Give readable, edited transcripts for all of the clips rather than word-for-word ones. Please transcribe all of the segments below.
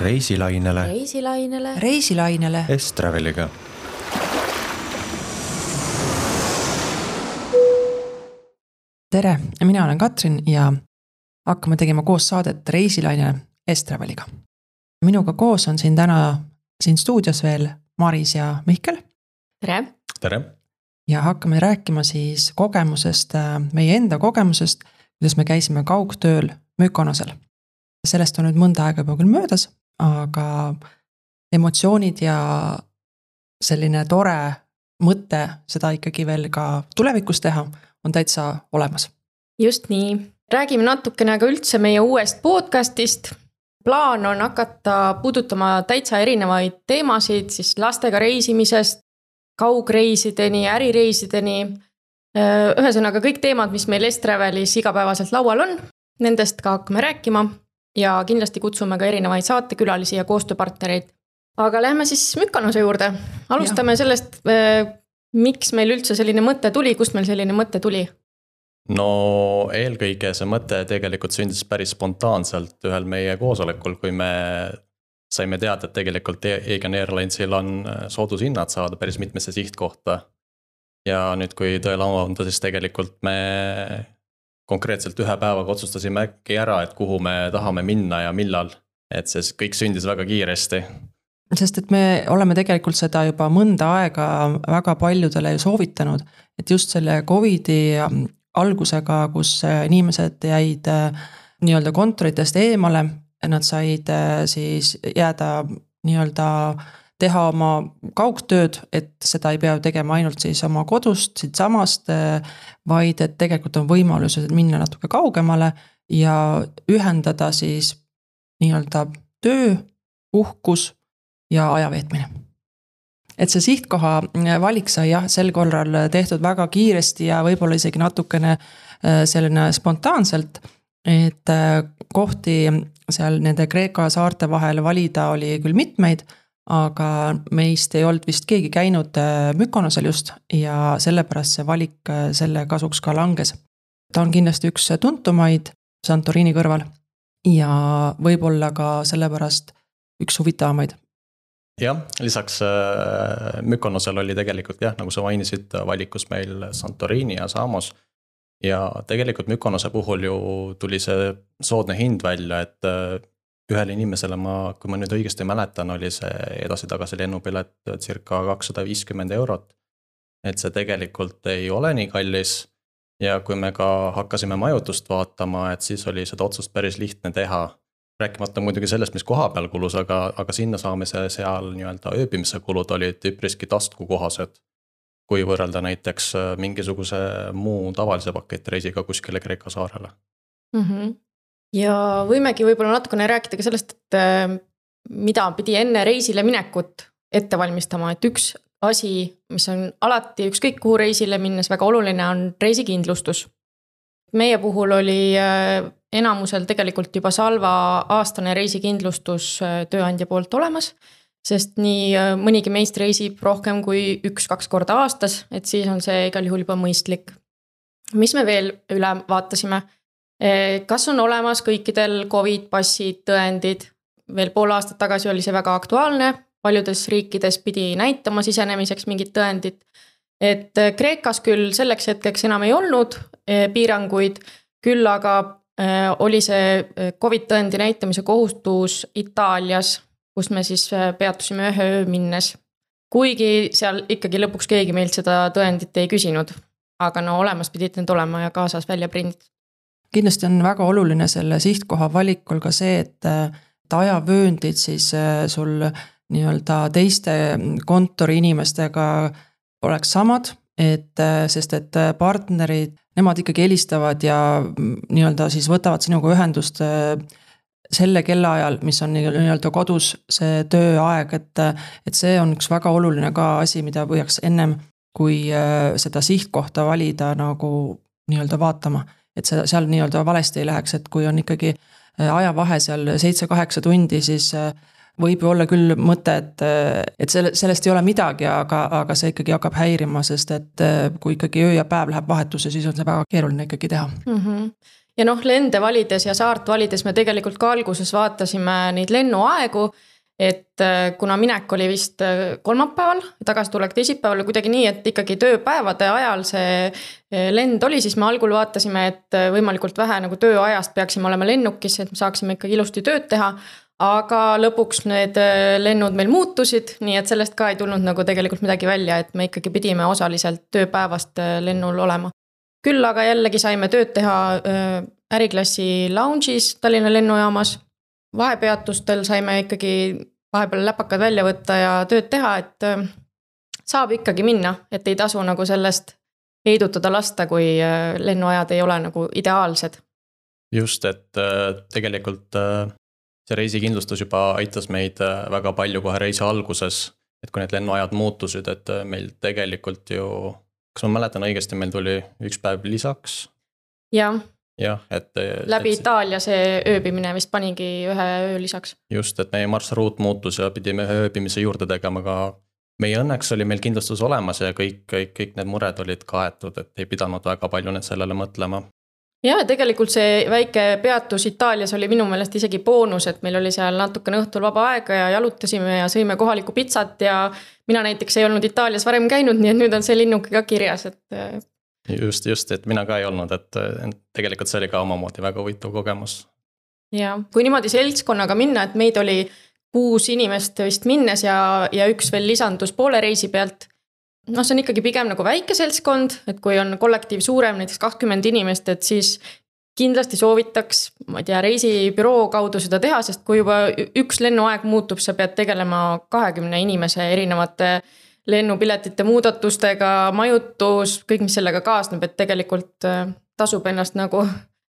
Reisilainele. Reisilainele. S-Traveliga. Tere, mina olen Katrin ja hakkame tegema koos saadet Reisilainele S-Traveliga. Minuga koos on siin täna siin stuudios veel Maris ja Mihkel. Tere. Tere. Ja hakkame rääkima siis kogemusest, meie enda kogemusest, kuidas me käisime kaugtööl Mykonosel. Sellest on nüüd mõnda aega juba küll möödas, aga emotsioonid ja selline tore mõte seda ikkagi veel ka tulevikus teha on täitsa olemas. Just nii. Räägime natukene ka üldse meie uuest podcastist. Plaan on hakata puudutama täitsa erinevaid teemasid, siis lastega reisimisest, kaugreisideni, ärireisideni. Ühesõnaga kõik teemad, mis meil S-Travelis igapäevaselt laual on, nendest ka hakkame rääkima ja kindlasti kutsume ka erinevaid saatekülalisi ja koostööpartnereid. Aga lähme siis Mykonose juurde. Alustame sellest, miks meil üldse selline mõte tuli, kust meil selline mõte tuli? No eelkõige see mõte tegelikult sündis päris spontaanselt ühel meie koosolekul, kui me saime teada, et tegelikult Aegean Airlinesil on soodushinnad saada päris mitmesse sihtkohta. Ja nüüd, kui tõele avanda, siis tegelikult me konkreetselt ühe päevaga otsustasime äkki ära, et kuhu me tahame minna ja millal. Et see kõik sündis väga kiiresti. Sest et me oleme tegelikult seda juba mõnda aega väga paljudele soovitanud, et just selle COVID-i algusega, kus inimesed jäid nii-öelda kontoritest eemale, nad said siis jääda nii-öelda teha oma kaugtööd, et seda ei pea tegema ainult siis oma kodust, siit samast, vaid et tegelikult on võimalus minna natuke kaugemale ja ühendada siis nii-öelda töö, uhkus ja ajaveetmine. Et see sihtkoha valik sai jah, sel korral tehtud väga kiiresti ja võib-olla isegi natukene selline spontaanselt, et kohti seal nende Kreeka saarte vahel valida oli küll mitmeid, aga meist ei olnud vist keegi käinud Mykonosel just ja sellepärast see valik selle kasuks ka langes. Ta on kindlasti üks tuntumaid Santorini kõrval ja võib-olla ka sellepärast üks huvitavamaid. Jah, lisaks Mykonosel oli tegelikult jah, nagu sa mainisid, valikus meil Santorini ja Samos. Ja tegelikult Mykonose puhul ju tuli see soodne hind välja, et ühele inimesele kui ma nüüd õigesti mäletan, oli see edasi-tagasi lennupilet circa 250 €. Et see tegelikult ei ole nii kallis ja kui me ka hakkasime majutust vaatama, et siis oli seda otsust päris lihtne teha. Rääkimata muidugi sellest, mis koha peal kulus, aga sinna saamise seal nii-öelda ööbimise kulud olid üpriski taskukohased, kui võrrelda näiteks mingisuguse muu tavalise paketreisiga kuskile Kreeka saarele. Ja võimegi võib-olla natukene rääkida ka sellest, et mida pidi enne reisile minekut ette valmistama, et üks asi, mis on alati ükskõik kuhu reisile minnes väga oluline, on reisikindlustus. Meie puhul oli enamusel tegelikult juba Salva aastane reisikindlustus tööandja poolt olemas, sest nii mõnigi meist reisib rohkem kui 1-2 korda aastas, et siis on see igal juhul juba mõistlik. Mis me veel üle vaatasime? Kas on olemas kõikidel COVID-passid, tõendid? Veel pool aastat tagasi oli see väga aktuaalne, paljudes riikides pidi näitama sisenemiseks mingid tõendid. Et Kreekas küll selleks hetkeks enam ei olnud piiranguid, küll aga oli see COVID-tõendi näitamise kohustus Itaalias, kus me siis peatusime ühe öö minnes. Kuigi seal ikkagi lõpuks keegi meilt seda tõendit ei küsinud, aga no olemas pidid need olema ja kaasas välja print. Kindlasti on väga oluline selle sihtkoha valikul ka see, et ajavööndid siis sul nii-öelda teiste kontori inimestega oleks samad, sest et partnerid, nemad ikkagi helistavad ja nii-öelda siis võtavad sinuga ühendust selle kellaajal, mis on nii-öelda kodus see tööaeg, et see on üks väga oluline ka asi, mida võiks ennem kui seda sihtkohta valida nagu nii-öelda vaatama. Et seal nii-öelda valesti ei läheks, et kui on ikkagi ajavahe seal 7-8 tundi, siis võib ju olla küll mõte, et sellest ei ole midagi, aga see ikkagi hakkab häirima, sest et kui ikkagi öö ja päev läheb vahetusse, siis on see väga keeruline ikkagi teha. ja noh, lende valides ja saart valides me tegelikult ka alguses vaatasime neid lennuaegu, et kuna minek oli vist kolmapäeval, tagasitulek teisipäeval kuidagi nii, et ikkagi tööpäevade ajal see lend oli, siis me algul vaatasime, et võimalikult vähe nagu tööajast peaksime olema lennukis, et me saaksime ikkagi ilusti tööd teha, aga lõpuks need lennud meil muutusid, nii et sellest ka ei tulnud nagu tegelikult midagi välja, et me ikkagi pidime osaliselt tööpäevast lennul olema. Küll aga jällegi saime tööd teha äriklassi lounge'is Tallinna lennujaamas. Vahepeatustel saime ikkagi vahepeal läpakad välja võtta ja tööd teha, et saab ikkagi minna, et ei tasu nagu sellest heidutada lasta, kui lennuajad ei ole nagu ideaalsed. Just, et tegelikult see reisikindlustus juba aitas meid väga palju kohe reisi alguses, et kui need lennuajad muutusid, et meil tegelikult ju, kas ma mäletan õigesti, meil tuli üks päev lisaks? Jah, et läbi Itaalia see ööbimine vist panigi ühe öö lisaks. Just, et meie marsruut muutus ja pidime ühe ööbimise juurde tegema, aga meie õnneks oli meil kindlustus olemas ja kõik need mured olid kaetud, et ei pidanud väga palju need sellele mõtlema. Ja tegelikult see väike peatus Itaalias oli minu meelest isegi boonus, et meil oli seal natukene õhtul vaba aega ja jalutasime ja sõime kohalikku pitsat ja mina näiteks ei olnud Itaalias varem käinud, nii et nüüd on see linnuke ka kirjas, et Just, et mina ka ei olnud, et tegelikult see oli ka omamoodi väga huvitav kogemus. Ja kui niimoodi seltskonnaga minna, et meid oli 6 inimest vist minnes ja üks veel lisandus poole reisi pealt. No see on ikkagi pigem nagu väike seltskond, et kui on kollektiiv suurem, näiteks 20 inimest, et siis kindlasti soovitaks, ma ei tea, reisibüroo kaudu seda teha, sest kui juba üks lennuaeg muutub, sa pead tegelema 20 inimese erinevate lennupiletite muudatustega, majutus, kõik, mis sellega kaasneb, et tegelikult tasub ennast nagu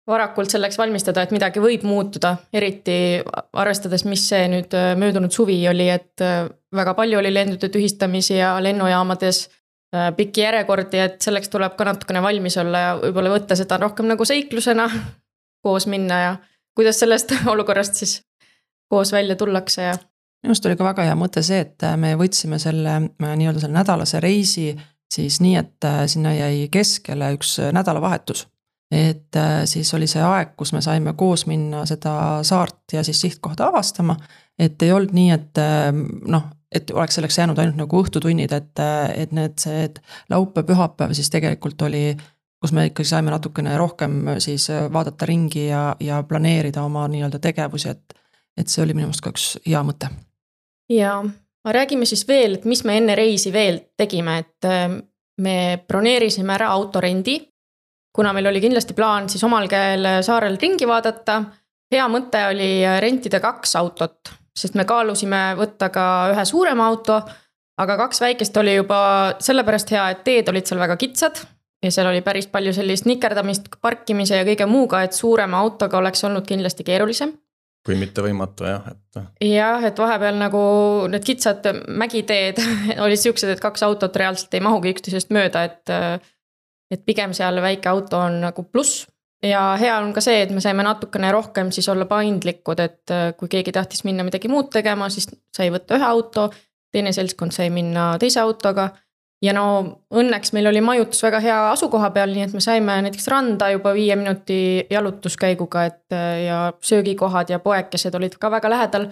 varakult selleks valmistada, et midagi võib muutuda, eriti arvestades, mis see nüüd möödunud suvi oli, et väga palju oli lendude tühistamisi ja lennujaamades pikki järjekordi, et selleks tuleb ka natukene valmis olla ja võib-olla võtta seda rohkem nagu seiklusena koos minna ja kuidas sellest olukorrast siis koos välja tullakse ja Minust oli ka väga hea mõte see, et me võtsime selle nii-öelda selle nädalase reisi siis nii, et sinna jäi keskele üks nädalavahetus. Et siis oli see aeg, kus me saime koos minna seda saart ja siis sihtkohta avastama, et ei olnud nii, et et oleks selleks jäänud ainult nagu õhtutunnid, et need see laupäev, pühapäev siis tegelikult oli, kus me ikkagi saime natukene rohkem siis vaadata ringi ja planeerida oma nii-öelda tegevusi, et see oli minu meelest ka üks hea mõte. Ja räägime siis veel, et mis me enne reisi veel tegime, et me broneerisime ära autorendi, kuna meil oli kindlasti plaan siis omal käel saarel ringi vaadata. Hea mõte oli rentida 2 autot, sest me kaalusime võtta ka ühe suurema auto, aga 2 väikest oli juba sellepärast hea, et teed olid seal väga kitsad ja seal oli päris palju sellist nikerdamist, parkimise ja kõige muuga, et suurema autoga oleks olnud kindlasti keerulisem. Kui mitte võimatu, jah. Jah, et vahepeal nagu need kitsad mägiteed olid siuksed, et 2 autot reaalselt ei mahugi üksteisest mööda, et pigem seal väike auto on nagu pluss. Ja hea on ka see, et me saime natukene rohkem siis olla paindlikud, et kui keegi tahtis minna midagi muud tegema, siis sai võtta ühe auto, teine seltskond sai minna teise autoga. Ja no õnneks meil oli majutus väga hea asukoha peal, nii et me saime näiteks randa juba 5 minuti jalutuskäiguga, et ja söögikohad ja poekesed olid ka väga lähedal,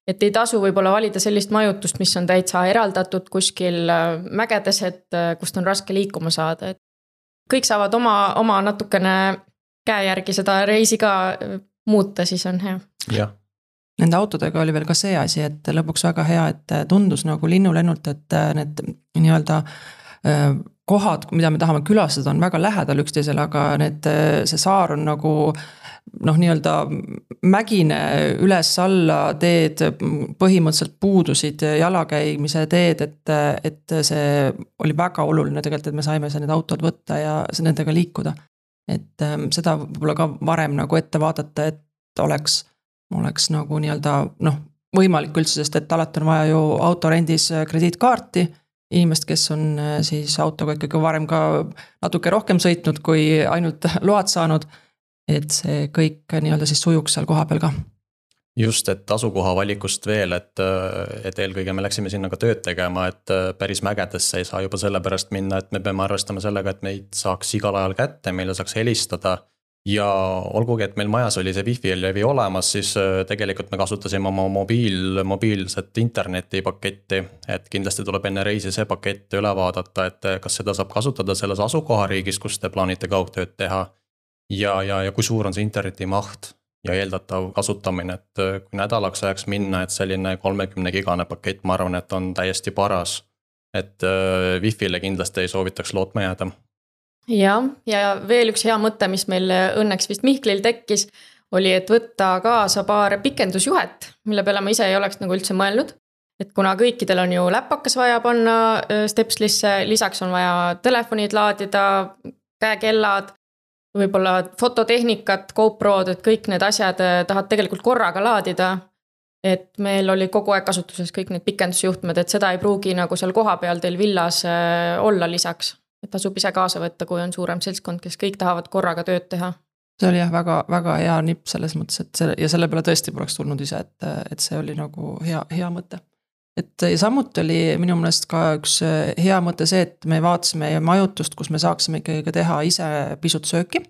et ei tasu võib-olla valida sellist majutust, mis on täitsa eraldatud kuskil mägedes, et kust on raske liikuma saada. Et kõik saavad oma natukene käe järgi seda reisi ka muuta, siis on hea. Jah. Nende autodega oli veel ka see asi, et lõpuks väga hea, et tundus nagu linnulennult, et need nii-öelda kohad, mida me tahame külastada, on väga lähedal üksteisele, aga see saar on nagu nii-öelda mägine üles-alla teed, põhimõtteliselt puudusid jalakäimise teed, et see oli väga oluline tegelikult, et me saime need autod võtta ja nendega liikuda. Et seda võib-olla ka varem nagu ette vaadata, et oleks nagu nii-öelda võimalik üldse, sest et alati on vaja ju autorendis krediitkaarti, inimest, kes on siis autoga ikkagi varem ka natuke rohkem sõitnud, kui ainult load saanud, et see kõik nii-öelda siis sujuks seal koha peal ka. Just, et asukoha valikust veel, et eelkõige me läksime sinna ka tööd tegema, et päris mägedesse ei saa juba selle pärast minna, et me peame arvestama sellega, et meid saaks igal ajal kätte, meile saaks helistada ja olgugi, et meil majas oli see wifi levi olemas, siis tegelikult me kasutasime oma mobiilset internetipaketti, et kindlasti tuleb enne reisi see pakett üle vaadata, et kas seda saab kasutada selles asukohariigis, kus te plaanite kaugtööd teha ja kui suur on see interneti maht ja eeldatav kasutamine, et kui nädalaks ajaks minna, et selline 30 gigane pakett, ma arvan, et on täiesti paras, et Wi-Fi'le kindlasti ei soovitaks lootma jääda. Ja veel üks hea mõte, mis meil õnneks vist Mihklil tekkis, oli, et võtta kaasa paar pikendusjuhet, mille peale ma ise ei oleks nagu üldse mõelnud. Et kuna kõikidel on ju läpakas vaja panna Stepslisse, lisaks on vaja telefonid laadida, käekellad, võib-olla fototehnikat, GoPro'd, et kõik need asjad tahad tegelikult korraga laadida. Et meil oli kogu aeg kasutuses kõik need pikendusjuhtmed, et seda ei pruugi nagu seal koha peal teil villas olla lisaks. Et tasub ise kaasa võtta, kui on suurem seltskond, kes kõik tahavad korraga tööd teha. See oli jah väga, väga hea nipp selles mõttes, et selle peale tõesti poleks tulnud ise, et see oli nagu hea mõte. Et ja samuti oli minu meelest ka üks hea mõte see, et me vaatasime majutust, kus me saaksime ikkagi teha ise pisut sööki.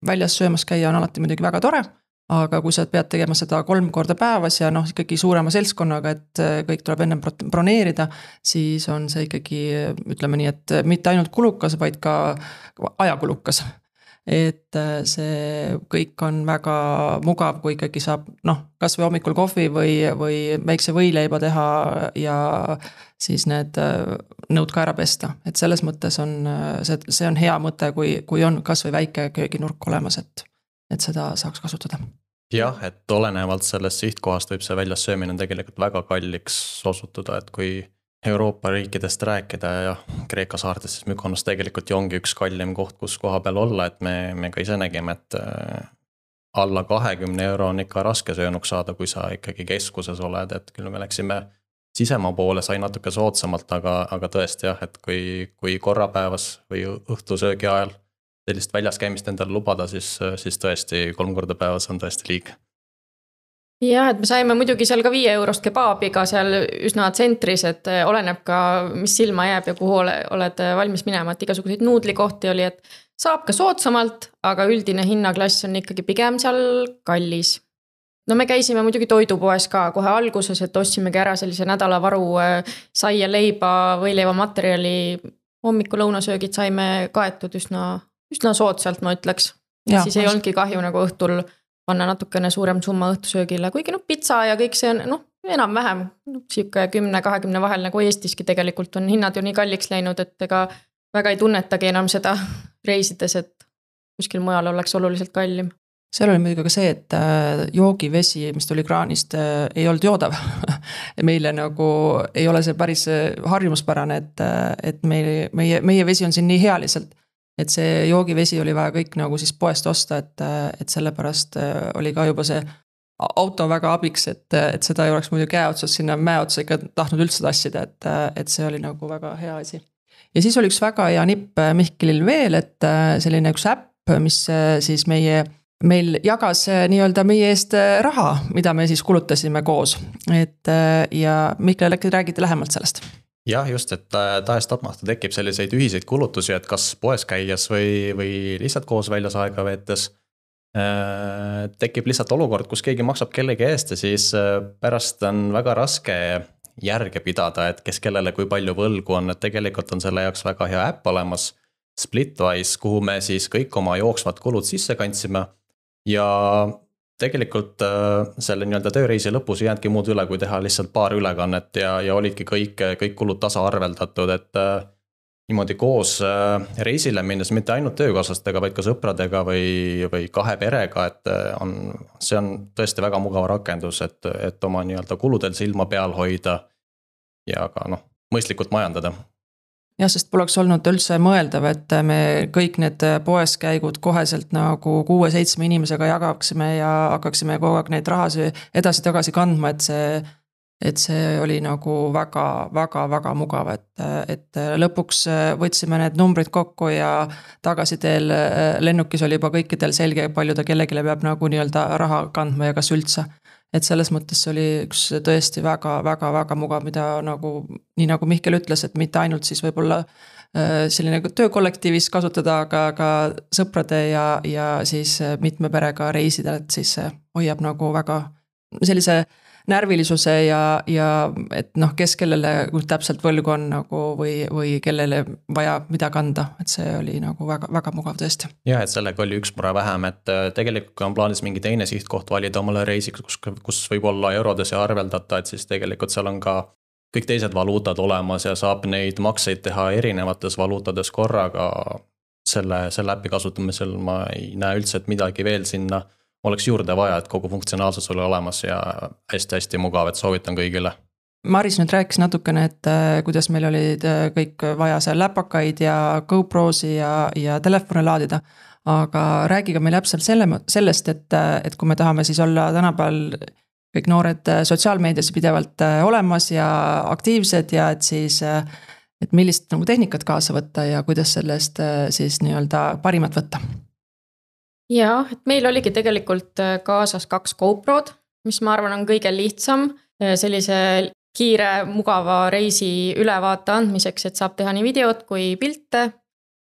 Väljas söömas käia on alati muidugi väga tore, aga kui sa pead tegema seda 3 korda päevas ja ikkagi suurema seltskonnaga, et kõik tuleb enne broneerida, siis on see ikkagi, ütleme nii, et mitte ainult kulukas, vaid ka ajakulukas. Et see kõik on väga mugav, kui ikkagi saab kas või hommikul kohvi või väikse võileiba teha ja siis need nõud ka ära pesta. Et selles mõttes on, see on hea mõte, kui on kas või väike kööginurk olemas, et seda saaks kasutada. Jah, et olenevalt sellest sihtkohast võib see väljas söömine tegelikult väga kalliks osutuda, et kui Euroopa riikidest rääkida ja Kreeka saartes, siis Mykonos tegelikult ju ongi üks kallim koht, kus koha peal olla, et me ka ise nägime, et alla 20 € on ikka raske söönuks saada, kui sa ikkagi keskuses oled, et küll me läksime sisemaa poole, sai natuke soodsamalt, aga tõesti jah, et kui korrapäevas või õhtusöögi ajal sellist väljas käimist endale lubada, siis tõesti 3 korda päevas on tõesti liig. Ja, et me saime muidugi seal ka 5 eurost kebaabiga seal üsna tsentris, et oleneb ka, mis silma jääb ja kuhu oled valmis minema, et igasuguseid nuudlikohti oli, et saab ka soodsamalt, aga üldine hinnaklass on ikkagi pigem seal kallis. No me käisime muidugi toidupoes ka kohe alguses, et ostsimegi ära sellise nädalavaru saia leiba või leivamaterjali, hommiku lõunasöögid saime kaetud üsna soodsalt, ma ütleks. Ja, siis ei olnudki kahju nagu õhtul panna natukene suurem summa õhtusöögile, kuigi pitsa ja kõik see on enam-vähem siuke 10-20 vahel nagu Eestiski tegelikult on hinnad ju nii kalliks läinud, et ega väga ei tunnetagi enam seda reisides, et kuskil mujal oleks oluliselt kallim. Seal oli muidugi ka see, et joogivesi, mis tuli kraanist, ei olnud joodav. Meile nagu ei ole see päris harjumuspärane, et meie vesi on siin nii hea lihtsalt. Et see joogivesi oli vaja kõik nagu siis poest osta, et sellepärast oli ka juba see auto väga abiks, et seda ei oleks muidu käe otsas sinna mäe otsa ikka tahtnud üldse tassida, et see oli nagu väga hea asi. Ja siis oli üks väga hea nipp Mihklil veel, et selline üks äpp, mis siis meil jagas nii-öelda meie eest raha, mida me siis kulutasime koos. Ja Mihkel, äkki räägite lähemalt sellest? Jah, just, et tahes-tapmata tekib selliseid ühiseid kulutusi, et kas poes käies või lihtsalt koos väljas aega veetes tekib lihtsalt olukord, kus keegi maksab kellegi eest ja siis pärast on väga raske järge pidada, et kes kellele kui palju võlgu on, et tegelikult on selle jaoks väga hea äpp olemas Splitwise, kuhu me siis kõik oma jooksvad kulud sisse kandsime ja tegelikult selle nii-öelda tööreisi lõpus ei jäändki muud üle, kui teha lihtsalt paar ülekannet ja olidki kõik kulud tasa arveldatud, et niimoodi koos reisile minnes mitte ainult töökaaslastega, vaid ka sõpradega või kahe perega, et see on tõesti väga mugav rakendus, et oma nii-öelda kuludel silma peal hoida ja ka mõistlikult majandada. Jah, sest poleks olnud üldse mõeldav, et me kõik need poes käigud koheselt nagu 6-7 inimesega jagaksime ja hakkaksime kogu aeg neid rahasi edasi-tagasi kandma, et see oli nagu väga mugav, et lõpuks võtsime need numbrid kokku ja tagasi teel lennukis oli juba kõikidel selge, palju ta kellegile peab nagu nii-öelda raha kandma ja kas üldse. et selles mõttes see oli üks tõesti väga mugav, mida nagu, nii nagu Mihkel ütles, et mitte ainult siis võib-olla selline töökollektiivis kasutada, aga ka sõprade ja siis mitme perega reisida, et siis see hoiab nagu väga sellise närvilisuse ja et noh, kes kellele täpselt võlgu on nagu või kellele vaja mida kanda, et see oli nagu väga mugav tõesti. Ja, et sellega oli üks mure vähem, et tegelikult on plaanis mingi teine sihtkoht valida omale reisiks, kus võib olla eurodes ja arveldata, et siis tegelikult seal on ka kõik teised valuutad olemas ja saab neid makseid teha erinevates valuutades korraga. Selle äpi kasutamisel ma ei näe üldse, et midagi veel sinna oleks juurde vaja, et kogu funktsionaalsus oli olemas ja hästi mugav, et soovitan kõigile. Maris nüüd rääkis natukene, et kuidas meil olid kõik vaja seal läpakaid ja GoProsi ja telefone laadida, aga räägiga meil täpselt sellest, et kui me tahame siis olla tänapäeval kõik noored sotsiaalmeedias pidevalt olemas ja aktiivsed ja et siis, et millist nagu tehnikat kaasa võtta ja kuidas sellest siis nii-öelda parimat võtta. Ja, et meil oligi tegelikult kaasas 2 GoProd, mis ma arvan on kõige lihtsam sellise kiire, mugava reisi ülevaate andmiseks, et saab teha nii videot kui pilte.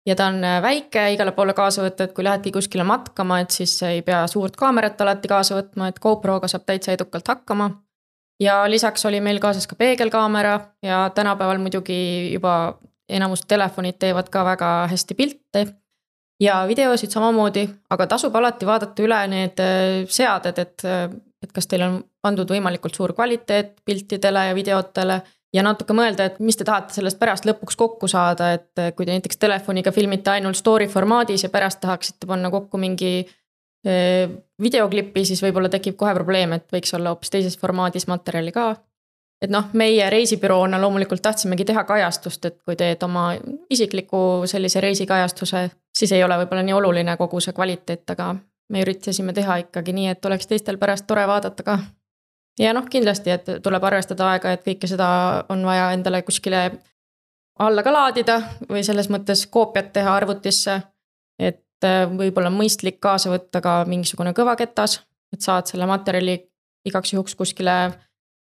Ja ta on väike, igale poole kaasa võtta, et kui lähedki kuskile matkama, et siis ei pea suurt kaamerat alati kaasa võtma, et GoProga saab täitsa edukalt hakkama. Ja lisaks oli meil kaasas ka peegelkaamera ja tänapäeval muidugi juba enamus telefonid teevad ka väga hästi pilte. Ja videosid samamoodi, aga tasub alati vaadata üle need seaded, et kas teil on pandud võimalikult suur kvaliteet piltidele ja videotele ja natuke mõelda, et mis te tahate sellest pärast lõpuks kokku saada, et kui te näiteks telefoniga filmite ainult story formaadis ja pärast tahaksite panna kokku mingi videoklipi, siis võib-olla tekib kohe probleem, et võiks olla hoopis teises formaadis materjali ka. Et noh, meie reisibüroona loomulikult tahtsimegi teha kajastust, et kui teed oma isikliku sellise reisikajastuse, siis ei ole võib-olla nii oluline kogu see kvaliteet, aga me üritasime teha ikkagi nii, et oleks teistel pärast tore vaadata ka. Ja noh, kindlasti, et tuleb arvestada aega, et kõike seda on vaja endale kuskile alla ka laadida või selles mõttes koopiat teha arvutisse, et võib-olla mõistlik kaasa võtta ka mingisugune kõvaketas, et saad selle materjali igaks juhuks kuskile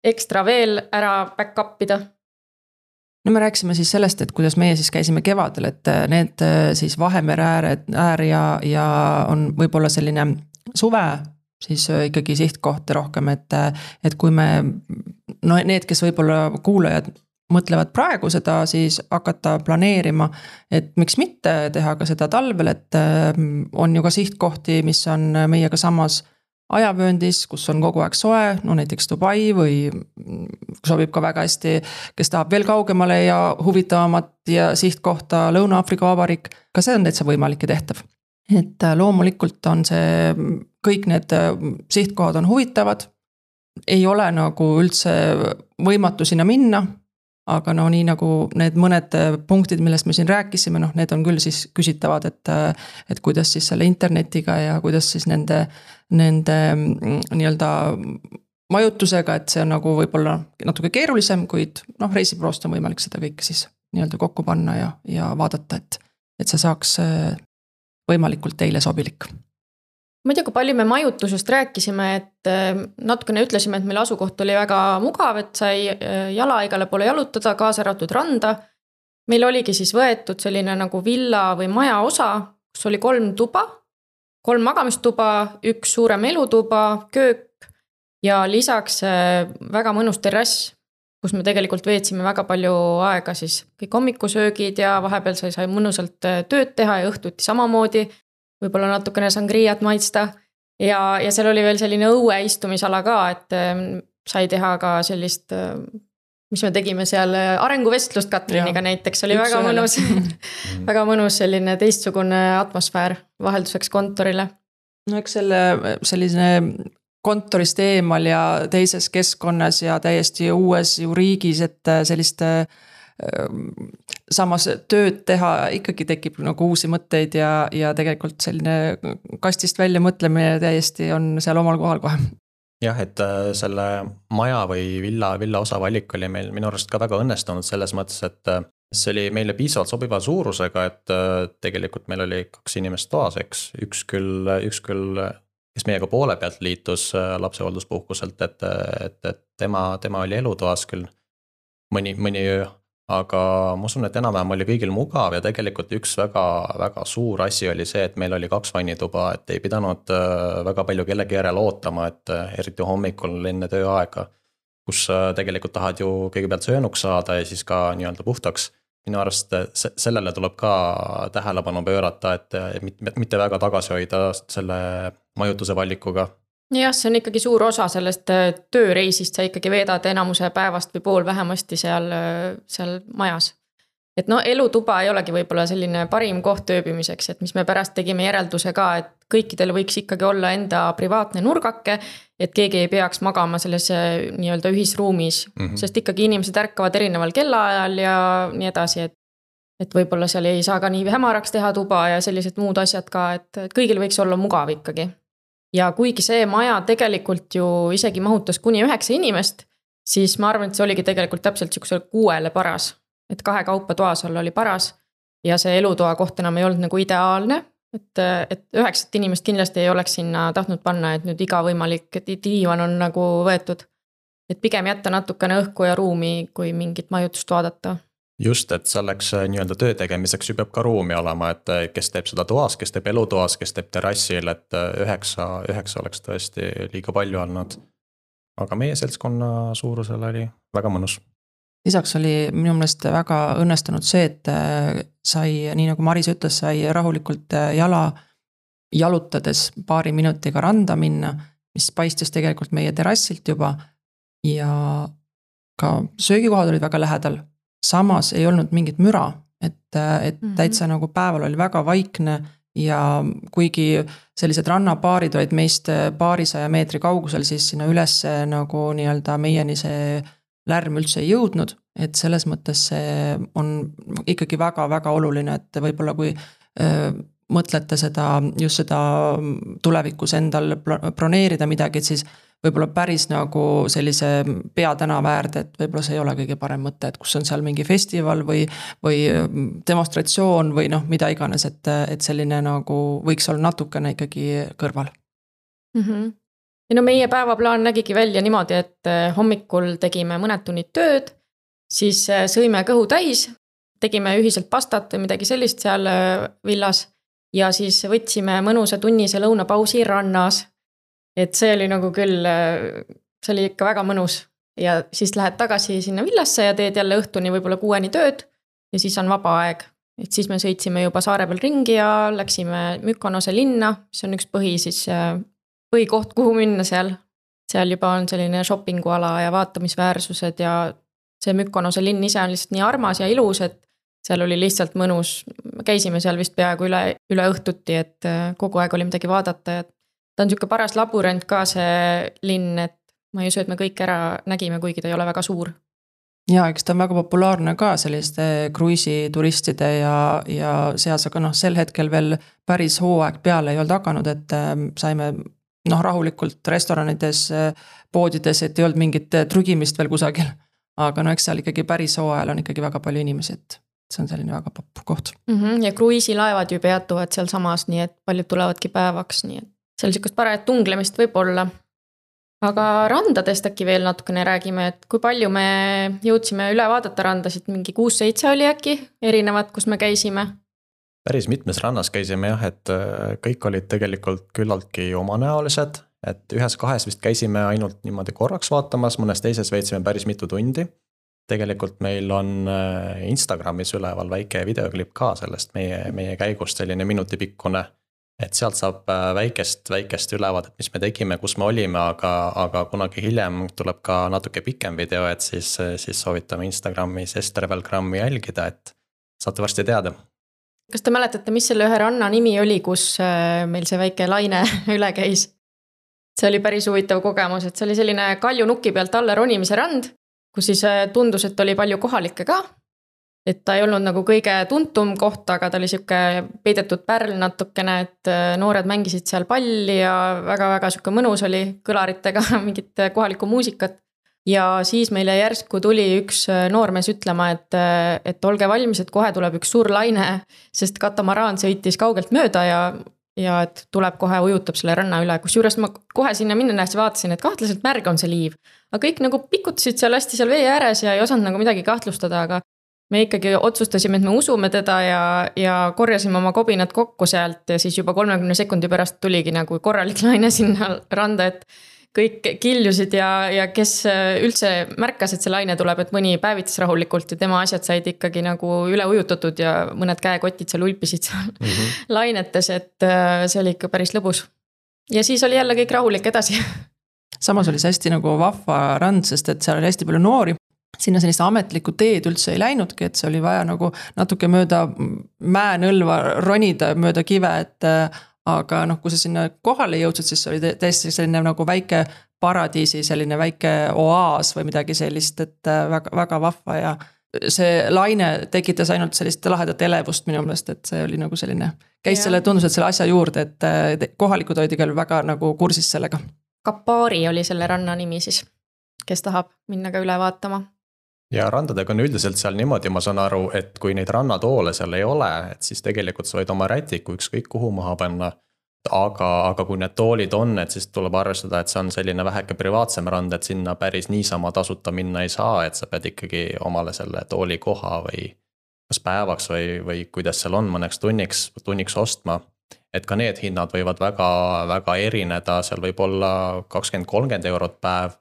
ekstra veel ära back-upida. No me rääkisime siis sellest, et kuidas meie siis käisime kevadel, et need siis Vahemere äär ja on võib-olla selline suve siis ikkagi sihtkoht rohkem, et kui me, no need, kes võib-olla kuulajad mõtlevad praegu seda siis hakata planeerima, et miks mitte teha ka seda talvel, et on ju ka sihtkohti, mis on meiega samas ajavööndis, kus on kogu aeg soe, no näiteks Dubai või sobib ka väga hästi, kes tahab veel kaugemale ja huvitavamat ja sihtkohta Lõuna-Aafrika Vabariik, ka see on täitsa võimalik ja tehtav. Et loomulikult on see, kõik need sihtkohad on huvitavad, ei ole nagu üldse võimatu sinna minna, aga no nii nagu need mõned punktid, millest me siin rääkisime, noh need on küll siis küsitavad, et kuidas siis selle internetiga ja kuidas siis nende nii-öelda majutusega, et see on nagu võib-olla natuke keerulisem, kuid noh reisibüroost on võimalik seda kõike siis nii-öelda kokku panna ja vaadata, et see saaks võimalikult teile sobilik. Ma ei tea, kui palju me majutusest rääkisime, et natukene ütlesime, et meil asukoht oli väga mugav, et sai jala igale poole jalutada, kaasa arvatud randa. Meil oligi siis võetud selline nagu villa või maja osa, kus oli 3 tuba, 3 magamistuba, 1 suurem elutuba, köök ja lisaks väga mõnus terrass, kus me tegelikult veetsime väga palju aega siis kõik hommikusöögid ja vahepeal sai mõnusalt tööd teha ja õhtuti samamoodi. Võib-olla natukene sangriat maitsta ja seal oli veel selline õue istumisala ka, et sai teha ka sellist, mis me tegime seal arenguvestlust Katriniga näiteks, oli väga mõnus, väga mõnus selline teistsugune atmosfäär vahelduseks kontorile. No eks selline kontorist eemal ja teises keskkonnas ja täiesti uues ju riigis, et selliste samas tööd teha ikkagi tekib nagu uusi mõtteid ja tegelikult selline kastist välja mõtlemine täiesti on seal omal kohal kohe. Jah, et selle maja või villa osa valik oli meil minu arust ka väga õnnestunud selles mõttes, et see oli meile piisavalt sobiva suurusega, et tegelikult meil oli 2 inimest toas, eks, üks küll kes meiega poole pealt liitus lapsehoolduspuhkuselt, et tema oli elutoas küll mõni öö, aga ma usun, et enam-vähem oli kõigil mugav ja tegelikult üks väga suur asi oli see, et meil oli 2 vannituba, et ei pidanud väga palju kellegi järele ootama, et eriti hommikul enne tööaega, kus tegelikult tahad ju kõigepealt söönuks saada ja siis ka nii-öelda puhtaks. Minu arust sellele tuleb ka tähelepanu pöörata, et mitte väga tagasi hoida selle majutuse valikuga. Jah, see on ikkagi suur osa sellest tööreisist, sa ikkagi veedad enamuse päevast või pool vähemasti seal majas. Et no elutuba ei olegi võib-olla selline parim koht ööbimiseks, et mis me pärast tegime järelduse ka, et kõikidel võiks ikkagi olla enda privaatne nurgake, et keegi ei peaks magama selles nii-öelda ühisruumis, sest ikkagi inimesed ärkavad erineval kellaajal ja nii edasi, et võib-olla seal ei saa ka nii hämaraks teha tuba ja sellised muud asjad ka, et kõigil võiks olla mugav ikkagi. Ja kuigi see maja tegelikult ju isegi mahutas kuni 9 inimest, siis ma arvan, et see oligi tegelikult täpselt 6 paras. Et 2 kaupa toas all oli paras ja see elutoa koht enam ei olnud nagu ideaalne, et 9 inimest kindlasti ei oleks sinna tahtnud panna, et nüüd iga võimalik diivan on nagu võetud. Et pigem jätta natukene õhku ja ruumi, kui mingit majutust vaadata. Just, et selleks nii-öelda töö tegemiseks ju peab ka ruumi olema, et kes teeb seda toas, kes teeb elutoas, kes teeb terrassil, et 9 oleks tõesti liiga palju olnud. Aga meie seltskonna suurusel oli väga mõnus. Lisaks oli minu meelest väga õnnestunud see, et sai, nii nagu Maris ütles, sai rahulikult jalutades paari minutiga randa minna, mis paistis tegelikult meie terrassilt juba ja ka söögikohad olid väga lähedal. Samas ei olnud mingit müra, et täitsa nagu päeval oli väga vaikne ja kuigi sellised rannapaarid olid meist 200 meetri kaugusel, siis sinna üles nagu nii-öelda meieni see lärm üldse ei jõudnud, et selles mõttes see on ikkagi väga-väga oluline, et võib-olla kui mõtlete just seda tulevikus endal broneerida midagi, et siis võib-olla päris nagu sellise peatänava äärde, et võib-olla see ei ole kõige parem mõte, et kus on seal mingi festival või demonstratsioon või noh, mida iganes, et selline nagu võiks olla natukene ikkagi kõrval. Ja no meie päevaplaan nägigi välja niimoodi, et hommikul tegime mõned tunnid tööd, siis sõime kõhu täis, tegime ühiselt pastat või midagi sellist seal villas ja siis võtsime mõnusa tunnise lõunapausi rannas. Et see oli nagu küll, see oli ikka väga mõnus ja siis lähed tagasi sinna villasse ja teed jälle õhtuni võib-olla 6 tööd ja siis on vaba aeg. Et siis me sõitsime juba saare peal ringi ja läksime Mykonose linna, mis on üks põhikoht, kuhu minna seal. Seal juba on selline shoppinguala ja vaatamisväärsused ja see Mykonose linn ise on lihtsalt nii armas ja ilus, et seal oli lihtsalt mõnus. Käisime seal vist peaaegu üle õhtuti, et kogu aeg oli midagi vaadata ja ta on niisugune paras labürint ka see linn, et ma ei usu, et me kõik ära nägime, kuigi ta ei ole väga suur. Ja, eks ta on väga populaarne ka selliste kruiisituristide ja seas, aga sel hetkel veel päris hooaeg peale ei olnud hakanud, et saime rahulikult restoranides, poodides, et ei olnud mingit trügimist veel kusagil. Aga eks seal ikkagi päris hooajal on ikkagi väga palju inimesi, et see on selline väga popp koht. Ja kruiisilaevad ju peatuvad seal samas, nii et paljud tulevadki päevaks, nii et seal niisugust parajat tunglemist võib olla. Aga randadest äkki veel natukene räägime, et kui palju me jõudsime üle vaadata randasid, mingi 6-7 oli äkki erinevad, kus me käisime? Päris mitmes rannas käisime jah, et kõik olid tegelikult küllaltki omanäolised, et 1-2 vist käisime ainult niimoodi korraks vaatamas, mõnes teises veetsime päris mitu tundi. Tegelikult meil on Instagramis üleval väike videoklipp ka sellest meie käigust, selline minutipikkune. Et sealt saab väikest ülevaadet, mis me tegime, kus me olime, aga kunagi hiljem tuleb ka natuke pikem video, et siis soovitame Instagramis Estervelgrammi jälgida, et saate varsti teada. Kas te mäletate, mis selle ühe ranna nimi oli, kus meil see väike laine üle käis? See oli päris huvitav kogemus, et see oli selline kaljunuki pealt alla ronimise rand, kus siis tundus, et oli palju kohalikke ka. Et ta ei olnud nagu kõige tuntum koht, aga ta oli siuke peidetud pärl natukene, et noored mängisid seal palli ja väga-väga siuke mõnus oli kõlaritega mingit kohalikku muusikat. Ja siis meile järsku tuli üks noormees ütlema, et olge valmis, et kohe tuleb üks suur laine, sest katamaraan sõitis kaugelt mööda ja ja et tuleb kohe ujutab selle ranna üle, kusjuures ma kohe sinna minnes vaatasin, et kahtlaselt märg on see liiv. Aga kõik nagu pikutasid seal hästi seal vee ääres ja ei osanud nagu midagi kahtlustada, aga me ikkagi otsustasime, et me usume teda ja korjasime oma kobinad kokku sealt ja siis juba 30 sekundi pärast tuligi nagu korralik laine sinna randa, et kõik kiljusid ja kes üldse märkas, et see laine tuleb, et mõni päevitas rahulikult ja tema asjad said ikkagi nagu üle ujutatud ja mõned käekotid seal ulpisid seal lainetes, et see oli ikka päris lõbus. Ja siis oli jälle kõik rahulik edasi. Samas oli see hästi nagu vahva rand, sest et seal oli hästi palju noori. Sinna sellist ametlikku teed üldse ei läinudki, et see oli vaja nagu natuke mööda mäenõlva ronida mööda kive, et aga noh, kui sa sinna kohale jõudsid, siis oli täiesti selline nagu väike paradiisi, selline väike oaas või midagi sellist, et väga, väga vahva ja see laine tekitas ainult sellist lahedat elevust minu meelest, et see oli nagu selline, käis selle, tundus, et selle asja juurde, et kohalikud olid küll väga nagu kursis sellega. Kapari oli selle ranna nimi siis, kes tahab minna ka üle vaatama. Ja randadega on üldiselt seal niimoodi, ma saan aru, et kui neid rannatoole seal ei ole, et siis tegelikult sa võid oma rätiku ükskõik kuhu maha panna. Aga kui need toolid on, et siis tuleb arvestada, et see on selline väheke privaatsem rand, et sinna päris niisama tasuta minna ei saa, et sa pead ikkagi omale selle tooli koha või kas päevaks või kuidas seal on mõneks tunniks ostma. Et ka need hinnad võivad väga, väga erineda, seal võib olla 20-30 eurot päev,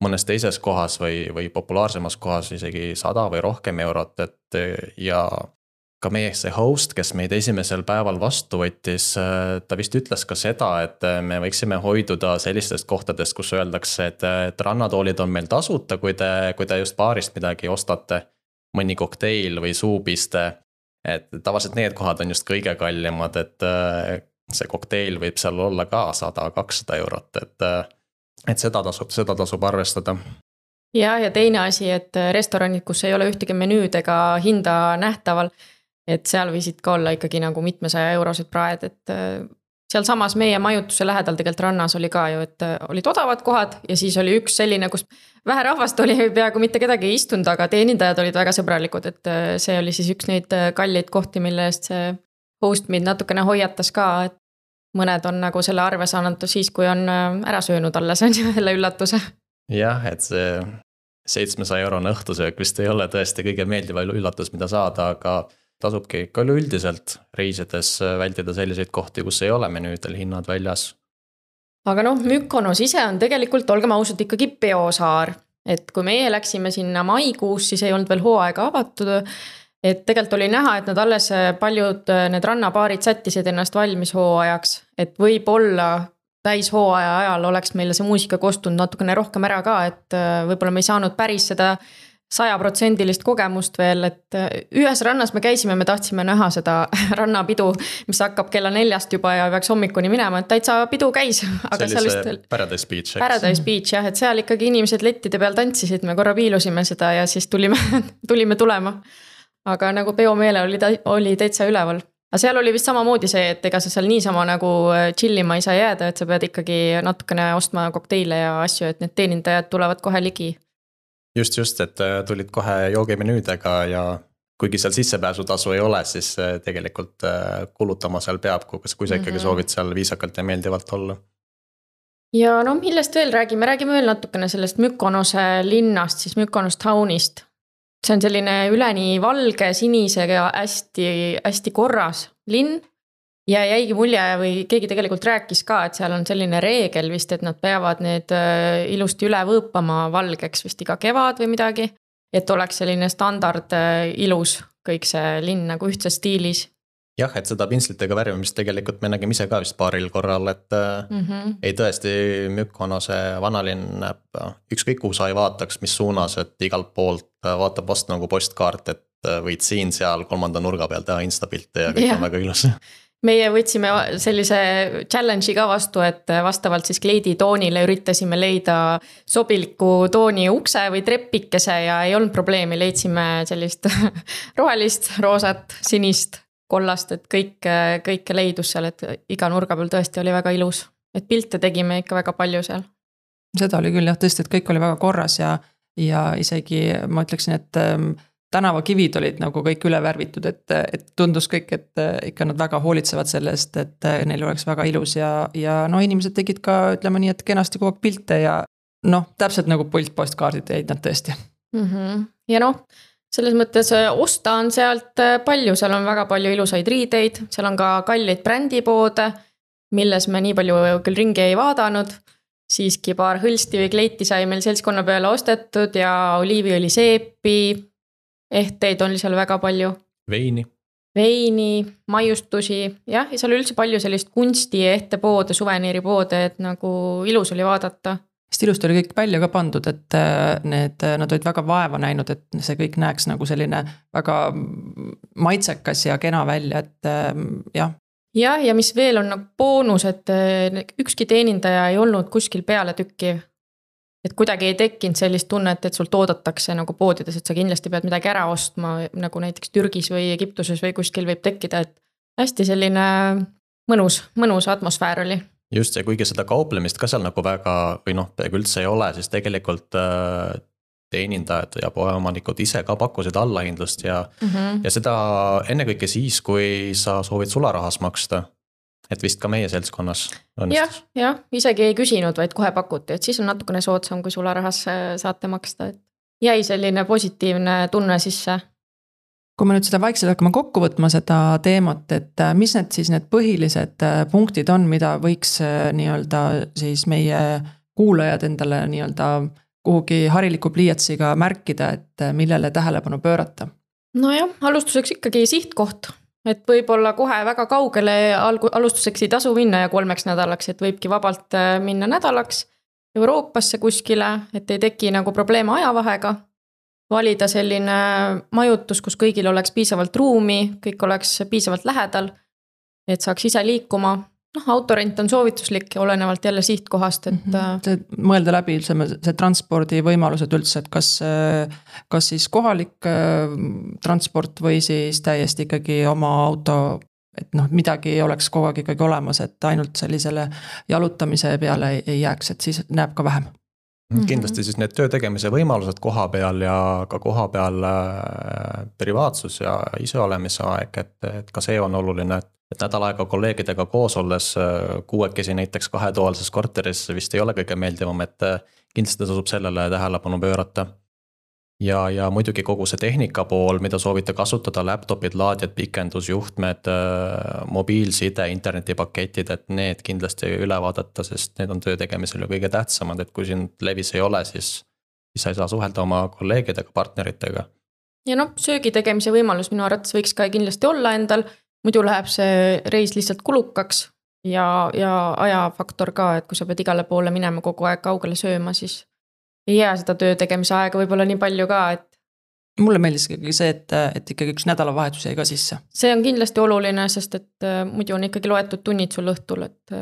mõnes teises kohas või populaarsemas kohas isegi 100 või rohkem eurot, et ja ka meie see host, kes meid esimesel päeval vastu võttis, ta vist ütles ka seda, et me võiksime hoiduda sellistest kohtadest, kus öeldakse, et rannatoolid on meil tasuta, kui te just baarist midagi ostate, mõni kokteil või suupiste, et tavaliselt need kohad on just kõige kallimad, et see kokteil võib seal olla ka 100-200 eurot, et seda tasub arvestada. Ja teine asi, et restoranid, kus ei ole ühtegi menüüd ega hinda nähtaval, et seal võisid ka olla ikkagi nagu mitmesaja eurosed praed, et seal samas meie majutuse lähedal tegelikult rannas oli ka ju, et olid odavad kohad ja siis oli üks selline, kus vähe rahvast oli peaaegu mitte kedagi ei istunud, aga teenindajad olid väga sõbralikud, et see oli siis üks neid kalleid kohti, mille eest see host meid natukene hoiatas ka, et mõned on nagu selle arve saanud siis, kui on ära söönud alles, on selle üllatuse. Jah, et see 700 eurone õhtusöök vist ei ole tõesti kõige meeldiva üllatus, mida saada, aga tasubki ikka üldiselt reisides vältida selliseid kohti, kus ei ole menüüdel hinnad väljas. Aga noh, Mykonos ise on tegelikult, olgem ausalt, ikkagi peosaar. Et kui meie läksime sinna maikuus, siis ei olnud veel hooaega avatud. Et tegelikult oli näha, et nad alles paljud need rannapaarid sättisid ennast valmis hooajaks, et võib-olla täis hooaja ajal oleks meile see muusika kostunud natukene rohkem ära ka, et võib-olla me ei saanud päris seda 100% kogemust veel, et ühes rannas me käisime, me tahtsime näha seda rannapidu, mis hakkab kella 4 juba ja peaks hommikuni minema, et täitsa pidu käis. Aga see oli see Paradise Beach. Paradise Beach, jah, et seal ikkagi inimesed lettide peal tantsisid, me korra piilusime seda ja siis tulime tulema. Aga nagu peomeele oli täitsa üleval. Aga seal oli vist samamoodi see, et ega sa seal niisama nagu chillima ei saa jääda, et sa pead ikkagi natukene ostma kokteile ja asju, et need teenindajad tulevad kohe ligi. Just, et tulid kohe joogimenüüdega ja kuigi seal sissepääsutasu ei ole, siis tegelikult kulutama seal peab, kui sa ikkagi soovid seal viisakalt ja meeldivalt olla. Ja no millest veel räägime veel natukene sellest Mykonose linnast, siis Mykonos townist. See on selline üleni valge, sinisega hästi, hästi korras linn ja jäigi mulje või keegi tegelikult rääkis ka, et seal on selline reegel vist, et nad peavad need ilusti üle võõpama valgeks vist iga kevad või midagi, et oleks selline standard ilus kõik see linn nagu ühtses stiilis. Jah, et seda pintslitega värvimist tegelikult me nägime ise ka vist paaril korral, et ei tõesti Mykonose vanalinn näeb ükskõik kuhu sa ei vaataks, mis suunas, et igalt poolt vaatab vastu nagu postkaart, et võid siin seal 3. nurga peal teha instapilte ja kõik on väga ilus. Meie võtsime sellise challenge'i ka vastu, et vastavalt siis kleidi toonile üritasime leida sobiliku tooni ukse või treppikese ja ei olnud probleemi, leidsime sellist rohelist, roosat, sinist, kollast, et kõik leidus seal, et iga nurga peal tõesti oli väga ilus. Et pilte tegime ikka väga palju seal. Seda oli küll jah, tõesti, et kõik oli väga korras ja isegi ma ütleksin, et tänavakivid olid nagu kõik üle värvitud, et tundus kõik, et ikka nad väga hoolitsevad sellest, et neil oleks väga ilus ja no inimesed tegid ka, ütleme nii, et kenasti kogu aeg pilte ja noh, täpselt nagu postkaardid jäid nad tõesti. Ja noh, selles mõttes osta on sealt palju, seal on väga palju ilusaid riideid, seal on ka kalleid brändipoode, milles me nii palju küll ringi ei vaadanud, siiski paar hõlsti või kleiti sai meil seltskonna peale ostetud ja oliiviõli seepi, ehteid on seal väga palju. Veini, maiustusi, jah, ja seal üldse palju sellist kunsti ehtepoode, suveniiripoode, et nagu ilus oli vaadata. Sest ilusti oli kõik välja ka pandud, et nad olid väga vaeva näinud, et see kõik näeks nagu selline väga maitsekas ja kena välja, et jah. Ja mis veel on nagu boonus, et ükski teenindaja ei olnud kuskil peale tükkiv. Et kuidagi ei tekkinud sellist tunnet, et sult oodatakse nagu poodides, et sa kindlasti pead midagi ära ostma, nagu näiteks Türgis või Egiptuses või kuskil võib tekkida, et hästi selline mõnus atmosfäär oli. Just ja kuigi seda kauplemist ka seal nagu väga või noh, peaaegu üldse ei ole, siis tegelikult teenindajad ja poeomanikud ise ka pakkusid allahindlust ja seda ennekõike siis, kui sa soovid sularahas maksta. Et vist ka meie seltskonnas õnnistus. Ja, isegi ei küsinud, vaid kohe pakuti, et siis on natukene soodsam, kui sularahas saate maksta. Et jäi selline positiivne tunne sisse. Kui me nüüd seda vaikselt hakkame kokku võtma seda teemat, et mis need siis need põhilised punktid on, mida võiks nii-öelda siis meie kuulajad endale nii-öelda kuhugi hariliku pliiatsiga märkida, et millele tähelepanu pöörata? Nojah, alustuseks ikkagi sihtkoht, et võib-olla kohe väga kaugele alustuseks ei tasu minna ja 3 nädalaks, et võibki vabalt minna nädalaks Euroopasse kuskile, et ei teki nagu probleeme ajavahega, valida selline majutus, kus kõigil oleks piisavalt ruumi, kõik oleks piisavalt lähedal, et saaks ise liikuma. Noh, autorent on soovituslik ja olenevalt jälle sihtkohast, et mõelda läbi see transpordi võimalused üldse, et kas siis kohalik transport või siis täiesti ikkagi oma auto, et noh, midagi oleks kogu aeg ikkagi olemas, et ainult sellisele jalutamise peale ei jääks, et siis näeb ka vähem. Kindlasti siis need töö tegemise võimalused koha peal ja ka koha peal privaatsus ja ise olemise aeg, et ka see on oluline, et nädal aega kolleegidega koos olles 6 näiteks 2-toalises korteris vist ei ole kõige meeldivam, et kindlasti tasub sellele tähelepanu pöörata. Ja muidugi kogu see tehnika pool, mida soovite kasutada, laptopid, laadjad, pikendusjuhtmed, mobiilside, internetipaketid, et need kindlasti üle vaadata, sest need on töö tegemisel ju kõige tähtsamad, et kui siin levis ei ole, siis sa ei saa suhelda oma kolleegidega, partneritega. Ja noh, söögi tegemise võimalus minu arvates võiks ka kindlasti olla endal, muidu läheb see reis lihtsalt kulukaks ja ajafaktor ka, et kui sa pead igale poole minema kogu aeg kaugele sööma, siis ei jää seda töö tegemise aega võib-olla nii palju ka, et mulle meeldis ikkagi see, et ikkagi üks nädalavahetus jäi ka sisse. See on kindlasti oluline, sest et muidu on ikkagi loetud tunnid sul õhtul, et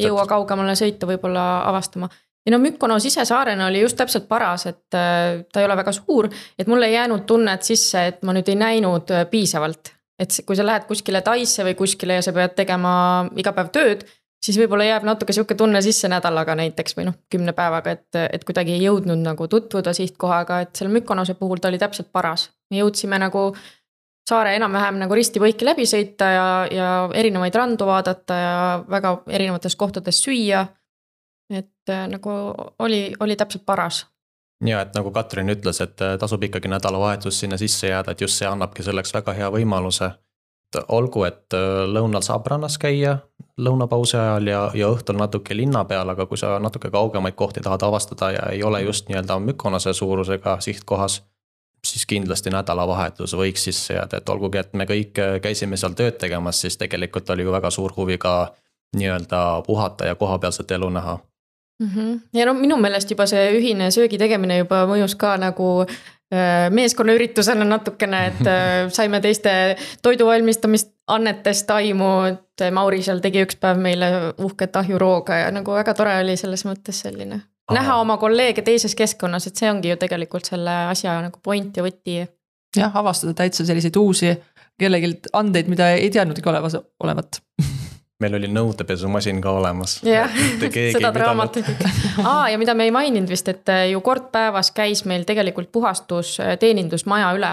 jõua kaugemale sõita võib-olla avastama. Ja no Mykonos ise saarena oli just täpselt paras, et ta ei ole väga suur, et mulle ei jäänud tunnet sisse, et ma nüüd ei näinud piisavalt. Et kui sa lähed kuskile Taisse või kuskile ja sa pead tegema iga päev tööd, siis võib-olla jääb natuke siuke tunne sisse nädalaga näiteks või 10 päevaga, et kuidagi ei jõudnud nagu tutvuda sihtkohaga, et seal Mykonose puhul ta oli täpselt paras. Me jõudsime nagu saare enam-vähem nagu risti-võiki läbi sõita ja erinevaid randu vaadata ja väga erinevates kohtades süüa. Et nagu oli täpselt paras. Ja, et nagu Katrin ütles, et tasub ikkagi nädalavahetus sinna sisse jääda, et just see annabki selleks väga hea võimaluse. Olgu, et lõunal saab rannas käia lõunapausi ajal ja õhtul natuke linna peal, aga kui sa natuke kaugemaid kohti tahad avastada ja ei ole just nii-öelda Mykonose suurusega sihtkohas, siis kindlasti nädalavahetus võiks sisse jääda, et olgugi, et me kõik käisime seal tööd tegemas, siis tegelikult oli ju väga suur huvi ka nii-öelda puhata ja kohapealset elu näha. Ja no minu meelest juba see ühine söögi tegemine juba mõjus ka nagu meeskonna üritusena natukene, et saime teiste toiduvalmistamist annetest aimu, et Mauri seal tegi üks päev meile uhket ahjurooga ja nagu väga tore oli selles mõttes selline. Näha oma kolleege teises keskkonnas, et see ongi ju tegelikult selle asja nagu point ja võti. Jah, avastada täitsa selliseid uusi kellegilt andeid, mida ei teadnudki olevat. meil oli nõudepesumasin ka olemas. Jah, seda draamat. Ja mida me ei maininud vist, et ju kord päevas käis meil tegelikult puhastus teenindusmaja üle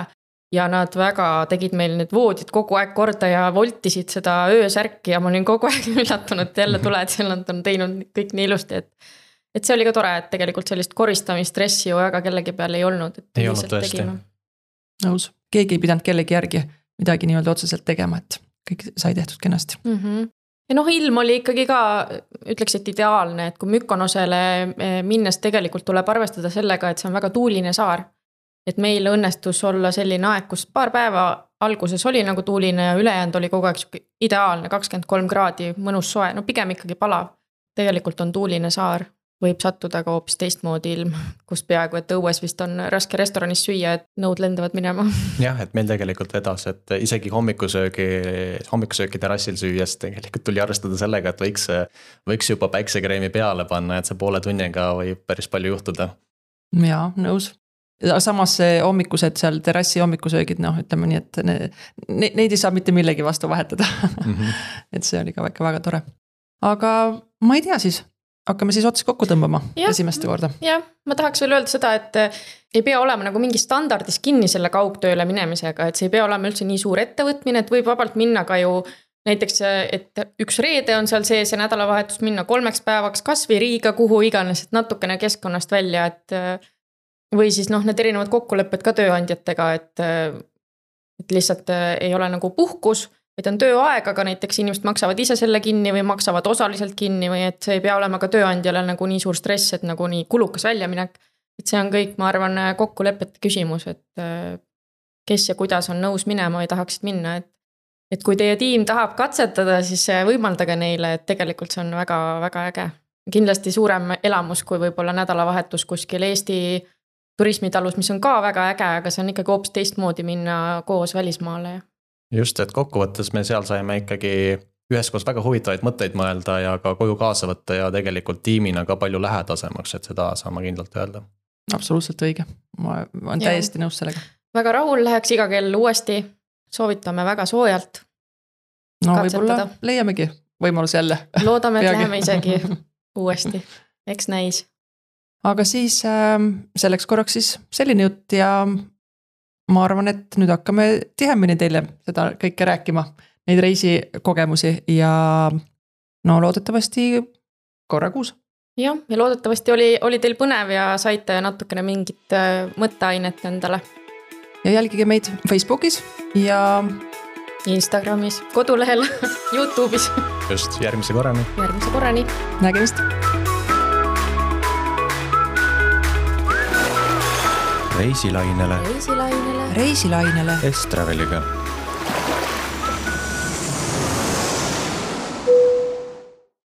ja nad väga tegid meil need voodid kogu aeg korda ja voltisid seda öösärki ja ma olin kogu aeg üllatunud, et jälle tuled, seal nad on teinud kõik nii ilusti, et see oli ka tore, et tegelikult sellist koristamistressi ju väga kellegi peal ei olnud. Ei olnud tõesti. Nõus, keegi ei pidanud kellegi järgi midagi nii-öelda otseselt tegema, et kõik sai tehtud kenasti. Ja ilm oli ikkagi ka, ütleks, et ideaalne, et kui Mykonosele minnes tegelikult tuleb arvestada sellega, et see on väga tuuline saar. Et meil õnnestus olla selline aeg, kus paar päeva alguses oli nagu tuuline ja ülejäänud oli kogu aeg ideaalne, 23 kraadi, mõnus soe, pigem ikkagi palav. Tegelikult on tuuline saar, võib sattuda ka hoopis teistmoodi ilm, kus peaaegu, et õues vist on raske restoranis süüa, et nõud lendavad minema. Jah, et meil tegelikult vedas, et isegi hommikusööki terassil süües tegelikult tuli arvestada sellega, et võiks juba päiksekreemi peale panna, et see poole tunniga võib päris palju juhtuda. Jaa, nõus. Samas hommikused seal terassi hommikusöögid, ütleme nii, et neid ei saa mitte millegi vastu vahetada. Et see oli ka väga tore. Aga ma ei tea siis, hakkame siis otsi kokku tõmbama esimeste korda. Jah, ma tahaks veel öelda seda, et ei pea olema nagu mingi standardis kinni selle kaugtööle minemisega, et see ei pea olema üldse nii suur ettevõtmine, et võib vabalt minna ka ju näiteks, et üks reede on seal sees ja nädalavahetus minna 3 päevaks kas või Riiga, kuhu iganes, et natukene keskkonnast välja, et või siis need erinevad kokkulepped ka tööandjatega, et lihtsalt ei ole nagu puhkus, et on tööaeg, aga näiteks inimesed maksavad ise selle kinni või maksavad osaliselt kinni või et see ei pea olema ka tööandjale nagu nii suur stress, et nagu nii kulukas väljaminek. Et see on kõik, ma arvan, kokkulepete küsimus, et kes ja kuidas on nõus minema või tahaksid minna, et kui teie tiim tahab katsetada, siis võimaldage neile, et tegelikult see on väga äge. Kindlasti suurem elamus kui võib-olla nädalavahetus kuskil Eesti turismitalus, mis on ka väga äge, aga see on ikkagi hoopis teistmoodi minna koos välismaale. Just, et kokkuvõttes me seal saime ikkagi üheskoos väga huvitavaid mõtteid mõelda ja ka koju kaasa võtta ja tegelikult tiimina ka palju lähedasemaks, et seda saame kindlalt öelda. Absoluutselt õige, ma olen täiesti nõus sellega. Väga rahul läheks iga kell uuesti, soovitame väga soojalt. Võib-olla leiamegi võimalus jälle. Loodame, et läheme isegi uuesti, eks näis. Aga siis selleks korraks siis selline jutt ja ma arvan, et nüüd hakkame tihemini teile seda kõike rääkima, neid reisikogemusi ja loodetavasti korra kuus. Ja loodetavasti oli teil põnev ja saite natukene mingit mõtteainet endale. Ja jälgige meid Facebookis ja Instagramis, kodulehel, YouTube'is. Just, järgmise korrani. Nägemist. Reisilainele. Estraveliga.